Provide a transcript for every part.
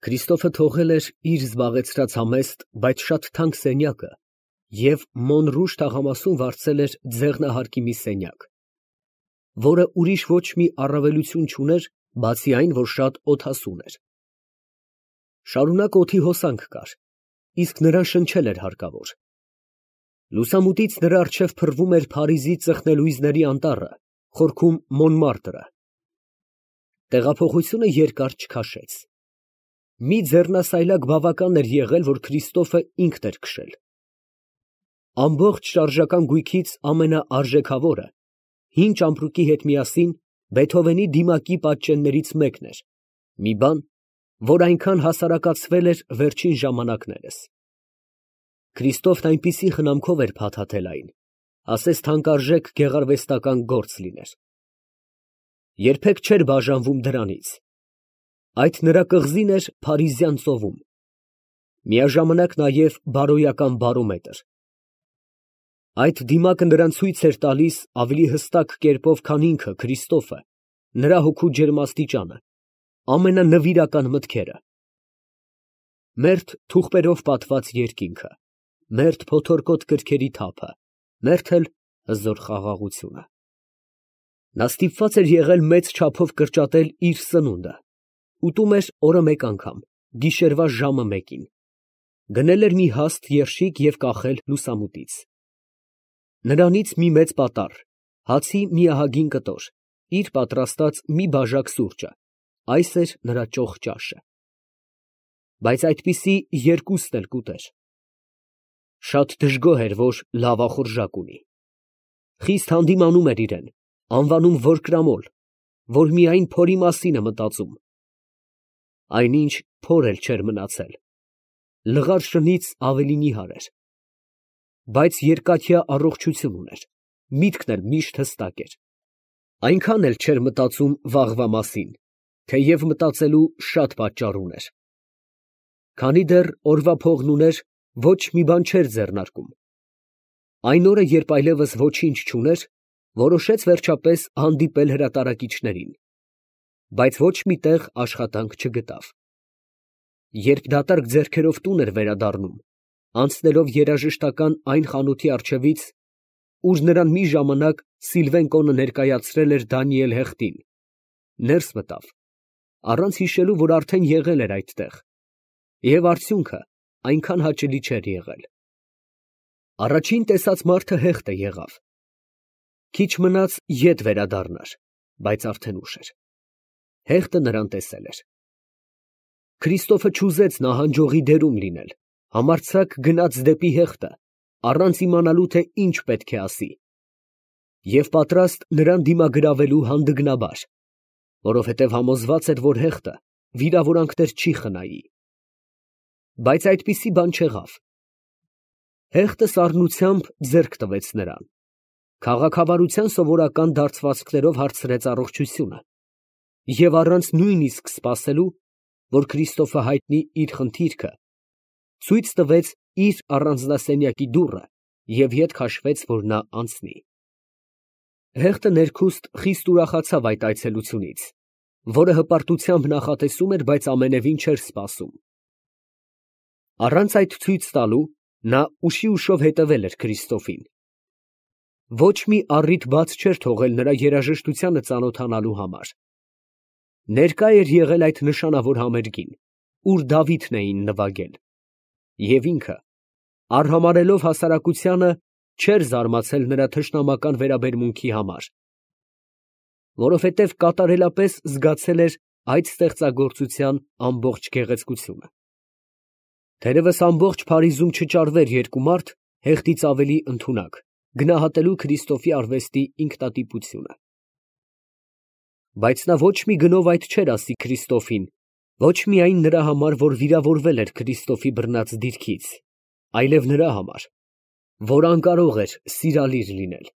Քրիստոֆը թողել էր իր զբաղեցրած համեստ, բայց շատ թանկ սենյակը և Մոնրուժ թաղամասում վարձել էր ձեղնահարկի մի սենյակ, որը ուրիշ ոչ մի առավելություն չուներ, բացի այն, որ շատ օդասուն էր։ Շարունակ օդի հոսանք կար, իսկ նրան շնչել էր հարկավոր։ Լուսամուտից նրա առջև փռվում էր Փարիզի ծխնելույզների անտառը, խորքում Մոնմարտրը։ Տեղափոխությունը երկար չքաշեց։ Մի ձեռնասայլակ բավական էր եղել, որ Քրիստոֆը ինքն էր քշել։ Ամբողջ շարժական գույքից ամենաարժեքավորը, հին ճամպրուկի հետ միասին Բեթհովենի դիմակի պատճեններից մեկն էր, մի բան, որ այնքան հասարակացվել էր վերջին ժամանակներս։ Քրիստոֆն այնպիսի խնամքով էր փաթաթել այն, ասես թանկարժեք գեղարվեստական գործ լիներ։ Երբեք չէր բաժանվում դրանից։ Այդ նրա կղզին էր Փարիզյան ծովում, միաժամանակ նաև բարոյական բարոմետր։ Այդ դիմակը նրան ցույց էր տալիս ավելի հստակ կերպով, քան ինքը Քրիստոֆը, նրա հոգու ջերմաստիճանը, ամենանվիրական մտքերը։ Մերթ թուղթերով պատված երկինքը, մերթ փոթորկոտ կրքերի թափը, մերթ էլ հզոր խաղաղությունը։ Նա ստիպված էր եղել մեծ չափով կրճատել իր սնունդը, ուտում էր օրը մեկ անգամ, գիշերվա ժամը մեկին, գնել էր մի հաստ երշիկ և կախել լուսամուտից։ Նրանից մի մեծ պատառ, հացի մի ահագին կտոր, իր պատրաստած մի բաժակ սուրճը, այս էր նրա ճոխ ճաշը։ Բայց այդպիսի երկուստ էլ կուտեր։ Շատ դժգոհ էր, որ լավախորժակ ունի։ Խիստ հանդիմանում էր իրեն, անվանում որկրամոլ, որ միայն փորի մասին է մտածում։ Այնինչ փոր էլ չէր մնացել, լղար շնից ավելի նիհար էր։ Բայց երկաթյա առողջություն ուներ, միտքն էլ միշտ հստակ էր։ Այնքան էլ չէր մտածում վաղվա մասին, թեև մտածելու շատ պատճառ ուներ։ Քանի դեռ օրվա փողն ուներ, ոչ մի բան չէր ձեռնարկում։ Այն օրը, երբ այլևս ոչինչ չուներ, որոշեց վերջապես հանդիպել հրատարակիչներին, բայց ոչ մի տեղ աշխատանք չգտավ։ Երբ դատարկ ձեռքերով տուն էր վերադառնում, անցնելով երաժշտական այն խանութի առջևից, ուր նրան մի ժամանակ Սիլվեն կոնը ներկայացրել էր Դանիել Հեղտին, ներս մտավ, առանց հիշելու, որ արդեն եղել էր այդտեղ, և արդյունքը այնքան հաճելի չէր եղել։ Առաջին տեսած մարդը Հեղտը եղավ։ Քիչ մնաց ետ վերադառնար, բայց արդեն ուշ էր։ Հեղտը նրան տեսել էր։ Քրիստոֆը չուզեց նահանջողի դերում լինել, համարձակ գնաց դեպի Հեղտը, առանց իմանալու, թե ինչ պետք է ասի, և պատրաստ նրան դիմագրավելու հանդգնաբար, որովհետև համոզված էր, որ Հեղտը վիրավորանքներ չի խնայի։ Բայց այդպիսի բան չեղավ։ Հեղտը սառնությամբ ձեռք տվեց նրան, քաղաքավարության սովորական դարձվածքներով հարցրեց առողջությունը և առանց նույնիսկ սպասելու, որ Քրիստոֆը հայտնի իր խնդիրքը, ցույց տվեց իր առանձնասենյակի դուռը և ետ քաշվեց, որ նա անցնի։ Հեղտը ներքուստ խիստ ուրախացավ այդ այցելությունից, որը հպարտությամբ նախատեսում էր, բայց ամենևին չէր սպասում։ Առանց այդ ցույց տալու, նա ուշի ուշով հետևել էր Քրիստոֆին։ Ոչ մի առիթ բաց չէր թողել նրա երաժշտությանը ծանոթանալու համար։ Ներկա էր եղել այդ նշանավոր համերգին, ուր Դավիթն էին նվագել, և ինքը, արհամարհելով հասարակությանը, չէր զարմացել նրա թշնամական վերաբերմունքի համար, որովհետև կատարելապես զգացել էր այդ ստեղծագործության ամբողջ գեղեցկությունը։ Թերևս ամբողջ Փարիզում չճարվեր երկու մարդ Հեղտից ավելի ընդունակ, գնահատելու Քրիստոֆի արվեստի ինքնատիպությունը։ Բայց նա ոչ մի գնով այդ չէր ասի Քրիստոֆին, ոչ միայն նրա համար, որ վիրավորվել էր Քրիստոֆի բռնած դիրքից, այլև նրա համար, որ անկարող էր սիրալիր լինել։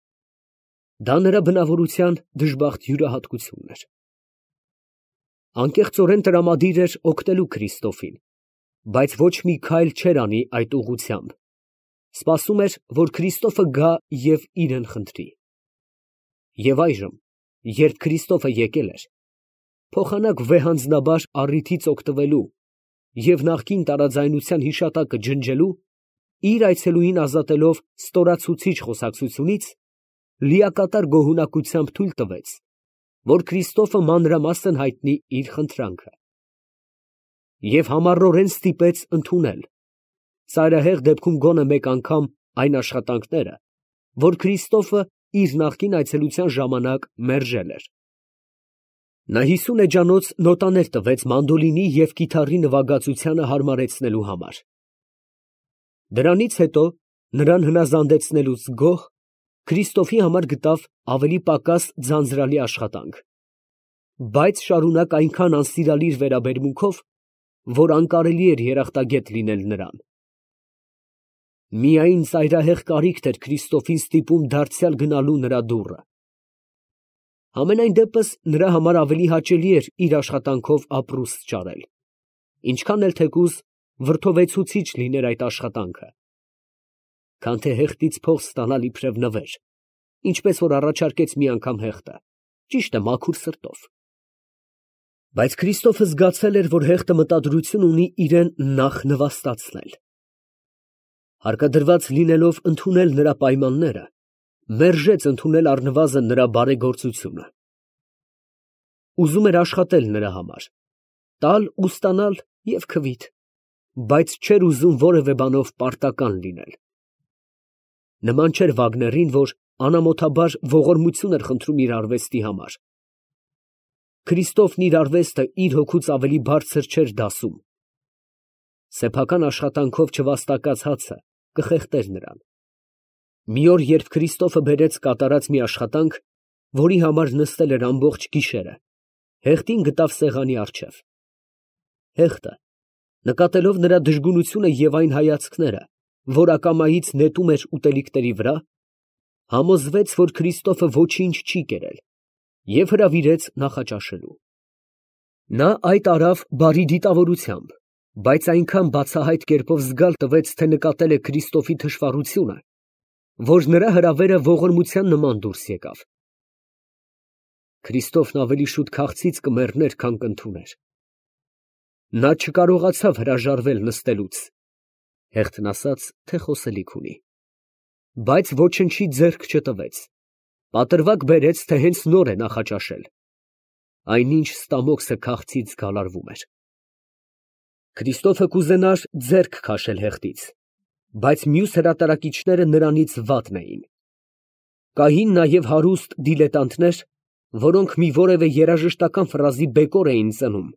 Դա նրա բնավորության դժբախտ յուրահատկությունն էր։ Անկեղծորեն տրամադիր էր օգնելու Քրիստոֆին, բայց ոչ մի քայլ չէր անի այդ ուղղությամբ, սպասում էր, որ Քրիստոֆը գա և իրեն խնդրի։ Եվ այժմ, երբ Քրիստոֆը եկել էր, փոխանակ վեհանձնաբար առիթից օգտվելու, և նախկին տարաձայնության հիշատակը ջնջելու, իր այցելուին ազատելով ստորացուցիչ խոսակցությունից, լիակատար գոհունակությամբ թույլ տվեց, որ Քրիստոֆը մանրամասն հայտնի իր խնդրանքը, և համառորեն ստիպեց ընդունել, ծայրահեղ դեպքում գոնե մեկ անգամ, այն աշխատանքները, որ Քրիստոֆը իր նախկին այցելության ժամանակ մերժել էր։ Նա 50 էջանոց նոտաներ տվեց մանդոլինի և կիթառի նվագածությանը հարմարեցնելու համար։ Դրանից հետո, նրան հնազանդեցնելուց գոհ, Քրիստոֆի համար գտավ ավելի պակաս ձանձրալի աշխատանք, բայց շարունակ այնքան անսիրալիր վերաբերմունքով, որ անկարելի էր երախտագետ լինել նրան։ Միայն ծայրահեղ կարիքն էր Քրիստոֆին ստիպում դարձյալ գնալու նրա դուռը։ Համենայն դեպս նրա համար ավելի հաճելի էր իր աշխատանքով ապրուստ ճարել, ինչքան էլ թեկուզ վրդովեցուցիչ լիներ այդ աշխատանքը, քան թե հեղտից փող ստանալ իբրև նվեր, ինչպես որ առաջարկեց մի անգամ հեղտը, ճիշտ է, մաքուր սրտով։ Բայց Քրիստոֆը զգացել էր, որ հեղտը մտադրություն ունի իրան նախ նվաստացնել։ Հարկադրված լինելով ընդունել նրա պայմանները, մերժեց ընդունել առնվազն նրա բարեգործությունը։ Ուզում էր աշխատել նրա համար, տալ ու ստանալ և քվիթ, բայց չէր ուզում որևէ բանով պարտական լինել։ Նման չէր Վագներին, որ անամոթաբար ողորմություն էր խնդրում իր արվեստի համար։ Քրիստոֆն իր արվեստը իր հոգուց ավելի բարձր չէր դասում։ Սեփական աշխատանքով չվաստակած հացը կխեղդեր նրան։ Մի օր, երբ Քրիստոֆը բերեց կատարած մի աշխատանք, որի համար նստել էր ամբողջ գիշերը, հեղտին գտավ սեղանի առջև։ Հեղտը, նկատելով նրա դժգունությունը և այն հայացքները, որ ակամայից նետում էր ուտելիքների վրա, համոզվեց, որ Քրիստոֆը ոչինչ չի կերել և հրավիրեց նախաճաշելու։ Նա այդ արավ բարի դիտավորությամբ, բայց այնքան բացահայտ կերպով զգալ տվեց, թե նկատել է Քրիստոֆի թշվառությունը, որ նրա հրավերը ողորմության նման դուրս եկավ։ Քրիստոֆն ավելի շուտ քաղցից կմեռներ, քան կընդուներ։ Նա չկարողացավ հրաժարվել նստելուց, հեղթն ասաց, թե խոսելիք ունի, բայց ոչնչի ձեռք չտվեց, պատրվակ բերեց, թե հենց նոր է նախաճաշել, այնինչ ստամոքսը քաղցից գալարվում էր։ Քրիստոֆը կուզենար ձեռք քաշել հեղտից, բայց մյուս հրատարակիչները նրանից վատն էին։ Կային նաև հարուստ դիլետանտներ, որոնք մի որևէ երաժշտական ֆրազի բեկոր էին ծնում,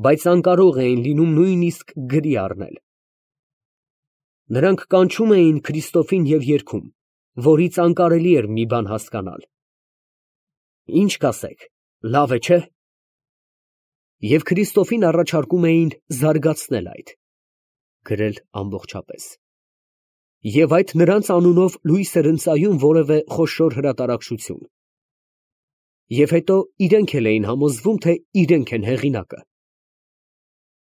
բայց անկարող էին լինում նույնիսկ գրի առնել։ Նրանք կանչում էին Քրիստոֆին և երգում, որից անկարելի էր մի բան հասկանալ։ Ինչ կասեք, լավ է, չէ՞։ Եվ Քրիստոֆին առաջարկում էին զարգացնել այդ, գրել ամբողջապես։ Եվ այդ նրանց անունով լույս էր ընծայում որևէ խոշոր հրատարակչություն։ Եվ հետո իրենք էլ էին համոզվում, թե իրենք են հեղինակը։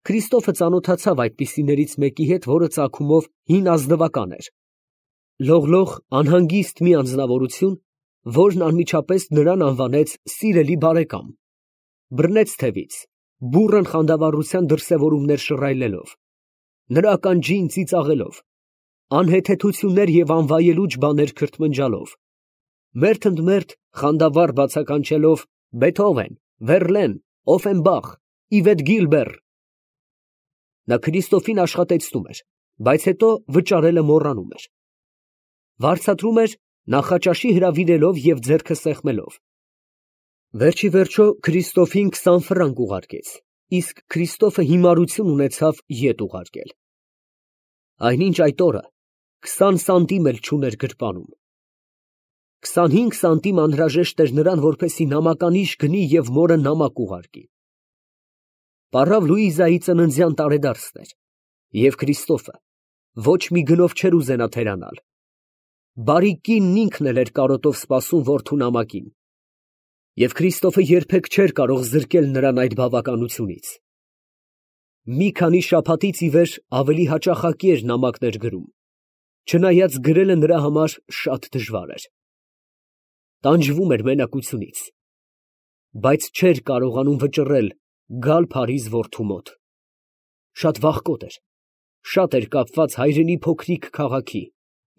Քրիստոֆը ծանոթացավ այդպիսիներից մեկի հետ, որը ծագումով հին ազնվական էր։ Լողլող, անհանգիստ մի անձնավորություն, որն անմիջապես նրան անվանեց սիրելի բարեկամ, բռնեց թևից, բուռն խանդավառության դրսևորումներ շռայլելով, նրա ականջին ծիծաղելով, անհեթեթություններ և անվայելուչ բաներ քրթմնջալով, մերթ ընդ մերթ խանդավառ բացականչելով Բեթհովեն, Վերլեն, Օֆենբախ, Իվետ Գիլբեր։ Նա Քրիստոֆին աշխատեցնում էր, բայց հետո վճարելը մոռանում էր։ Վարձատրում էր նախաճաշի հրավիրելով և ձեռքը սեղմելով։ Վերջի վերջո Քրիստոֆին 20 ֆրանկ ուղարկեց, իսկ Քրիստոֆը հիմարություն ունեցավ ետ ուղարկել։ Այնինչ այդ օրը 20 սանտիմ էլ չուներ գրպանում։ 25 սանտիմ անհրաժեշտ էր նրան, որպեսզի նամականիշ գնի և մորը նամակ ուղարկի։ Պառավ Լուիզայի ծննդյան տարեդարձն էր, և Քրիստոֆը ոչ մի գնով չէր ուզենա թերանալ։ Բարի կինն ինքն էլ էր կարոտով սպասում որդու նամակին, և Քրիստոֆը երբեք չէր կարող զրկել նրան այդ բավականությունից։ Մի քանի շաբաթից ի վեր ավելի հաճախակի էր նամակներ գրում, չնայած գրելը նրա համար շատ դժվար էր։ Տանջվում էր մենակությունից, բայց չէր կարողանում վճռել գալ Փարիզ որդու մոտ։ Շատ վախկոտ էր, շատ էր կապված հայրենի փոքրիկ քաղաքի,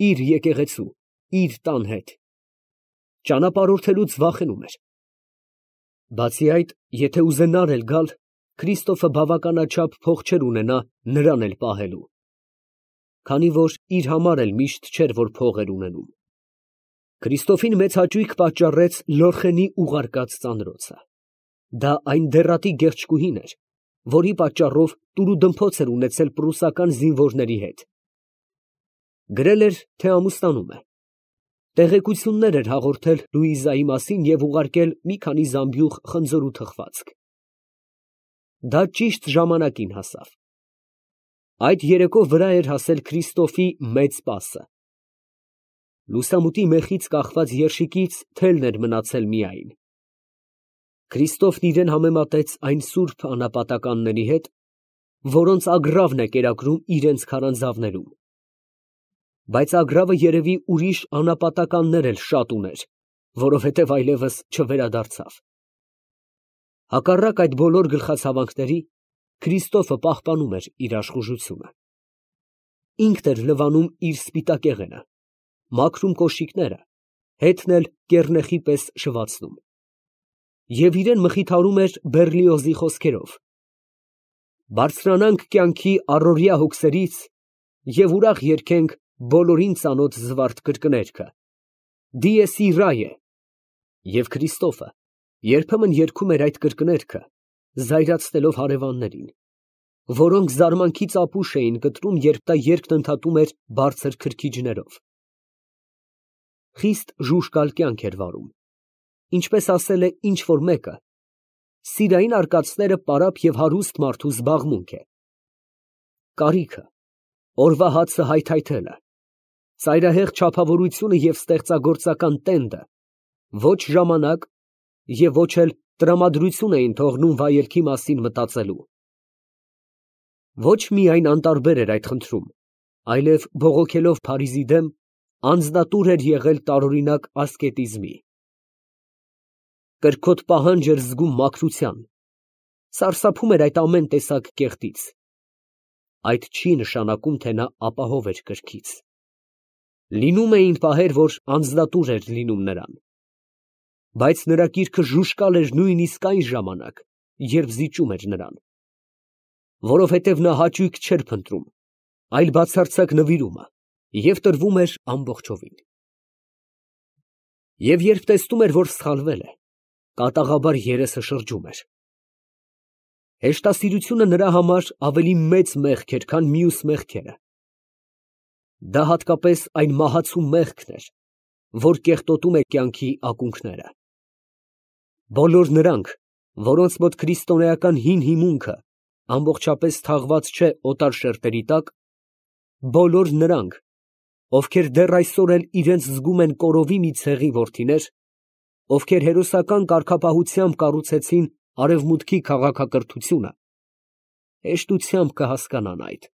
իր եկեղեցու, իր տան հետ։ Ճանապարհորդելուց վախենում էր։ Բացի այդ, եթե ուզենար էլ գալ, Քրիստոֆը բավականաչափ փող չէր ունենա նրան էլ պահելու, քանի որ իր համար էլ միշտ չէր, որ փող էր ունենում։ Քրիստոֆին մեծ հաճույք պատճառեց Լորխենի ուղարկած ծանրոցը։ Դա այն դեռատի գեղեցկուհին էր, որի պատճառով տուրուդմփոց էր ունեցել պրուսական զինվորների հետ։ Գրել էր, թե ամուսնանում է։ Տեղեկություններ էր հաղորդել Լուիզայի մասին և ուղարկել մի քանի զամբյուղ խնձոր ու թխվածք։ Դա ճիշտ ժամանակին հասավ։ Այդ երեկո վրա էր հասել Քրիստոֆի մեծ սպասը։ Լուսամուտի մեխից կախված երշիկից թելն էր մնացել միայն։ Քրիստոֆն իրեն համեմատեց այն սուրբ անապատականների հետ, որոնց ագռավն է կերակրում իրենց քարանձավներում։ Բայց ագռավը երևի ուրիշ անապատականներ էլ շատ ուներ, որովհետև այլևս չվերադարձավ։ Հակառակ այդ բոլոր գլխացավանքների, Քրիստոֆը պահպանում էր իր աշխուժությունը։ Ինքն էր լվանում իր սպիտակեղենը, մաքրում կոշիկները, հետն էլ կեռնեխի պես շվացնում։ Եվ իրեն մխիթարում էր Բեռլիոզի խոսքերով. «Բարձրանանք կյանքի առօրյա հոգսերից և ուրախ երգենք բոլորին ծանոթ զվարթ կրկներգը. Dies irae». Եվ Քրիստոֆը երբեմն երգում էր այդ կրկներգը, զայրացնելով հարևաններին, որոնք զարմանքից ապուշ էին կտրում, երբ նա երգն ընդհատում էր բարձր քրքիջներով։ Խիստ ժուժկալ կյանք էր վարում, ինչպես ասել է ինչ֊որ մեկը, սիրային արկածները պարապ և հարուստ մարդու զբաղմունք է։ Կարիքը, օրվա հացը հայթայթելը, ծայրահեղ չափավորությունը և ստեղծագործական տենդը ոչ ժամանակ և ոչ էլ տրամադրություն էին թողնում վայելքի մասին մտածելու։ Ոչ միայն անտարբեր էր այդ խնդրում, այլև բողոքելով Փարիզի դեմ, անձնատուր էր եղել տարօրինակ ասկետիզմի։ Կրքոտ պահանջ էր զգում մաքրության, սարսափում էր այդ ամեն տեսակ կեղտից։ Այդ չի նշանակում, թե նա ապահով էր կրքից։ Լինում էին պահեր, որ անձնատուր էր լինում նրան, բայց նրա կիրքը ժուժկալ էր նույնիսկ այն ժամանակ, երբ զիջում էր նրան, որովհետև նա հաճույք չէր փնտրում, այլ բացարձակ նվիրումը, և տրվում էր ամբողջովին։ Եվ երբ տեսնում էր, որ սխալվել է, կատաղաբար երեսը շրջում էր։ Հեշտասիրությունը նրա համար ավելի մեծ մեղք էր, քան մյուս մեղքերը։ Դա հատկապես այն մահացու մեղքն էր, որ կեղտոտում է կյանքի ակունքները։ Բոլոր նրանք, որոնց մոտ քրիստոնեական հին հիմունքը ամբողջապես թաղված չէ օտար շերտերի տակ, բոլոր նրանք, ովքեր դեռ այսօր էլ իրենց զգում են կորովի մի ցեղի որդիներ, ովքեր հերոսական կարգապահությամբ կառուցեցին արևմուտքի քաղաքակրթությունը, հեշտությամբ կհասկանան այդ։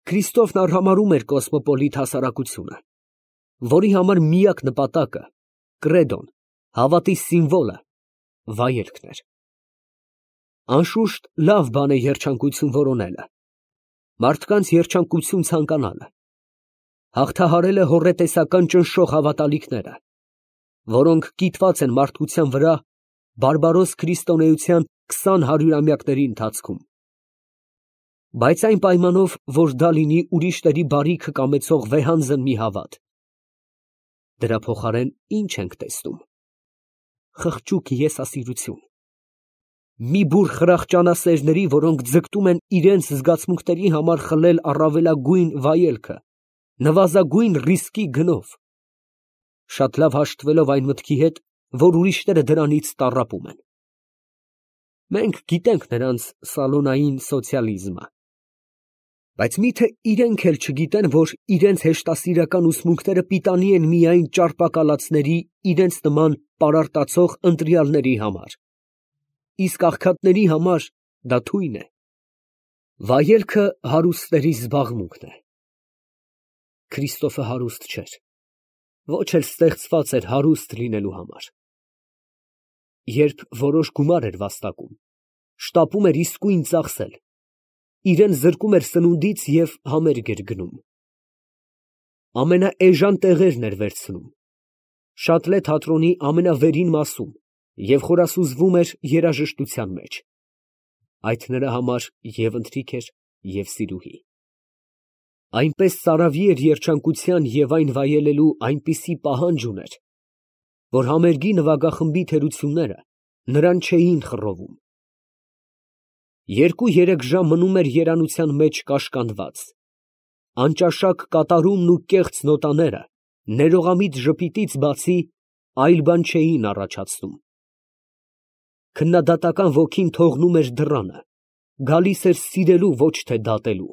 Քրիստոֆն արհամարհում էր կոսմոպոլիտ հասարակությունը, որի համար միակ նպատակը, կրեդոն, հավատի սիմվոլը, վայելքն էր։ Անշուշտ լավ բան է երջանկություն որոնելը, մարդկանց երջանկություն ցանկանալը, հաղթահարել է հոռետեսական ճնշող հավատալիքները, որոնք կիտված են մարդկության վրա բարբարոս քրիստոնեության 20 հարյուրամյակների ընթացքում։ Բայց այն պայմանով, որ դա լինի ուրիշների բարիքը կամեցող վեհանձն մի հավատ։ Դրա փոխարեն ի՞նչ ենք տեսնում։ Խղճուկ եսասիրություն։ Մի բուռ խրախճանասերների, որոնք ձգտում են իրենց զգացմունքների համար խլել առավելագույն վայելքը, նվազագույն ռիսկի գնով, շատ լավ հաշտվելով այն մտքի հետ, որ ուրիշները դրանից տառապում են։ Մենք գիտենք նրանց սալոնային սոցիալիզմը, բայց միթե իրենք էլ չգիտեն, որ իրենց հեշտասիրական ուսմունքները պիտանի են միայն ճարպակալածների, իրենց նման պարարտացող ընտրյալների համար, իսկ աղքատների համար դա թույն է։ Վայելքը հարուստների զբաղմունքն է։ Քրիստոֆը հարուստ չէր, ոչ էլ ստեղծված էր հարուստ լինելու համար։ Երբ որոշ գումար էր վաստակում, շտապում էր իսկույն ծախսել, իրան զրկում էր սնունդից և համերգ էր գնում։ Ամենաէժան տեղերն էր վերցնում, Շատլե թատրոնի ամենավերին մասում և խորասուզվում էր երաժշտության մեջ. այդ նրա համար և ընթրիք էր, և սիրուհի։ Այնպես ծարավի էր երջանկության և այն վայելելու այնպիսի պահանջ ուներ, որ համերգի նվագախմբի թերությունները նրան չէին խռովում։ 2-3 ժամ մնում էր երանության մեջ կաշկանդված, անճաշակ կատարումն ու կեղծ նոտաները ներողամիտ ժպիտից բացի այլ բան չէին առաջացնում։ Քննադատական ոգին թողնում էր դռանը, գալիս էր սիրելու, ոչ թե դատելու։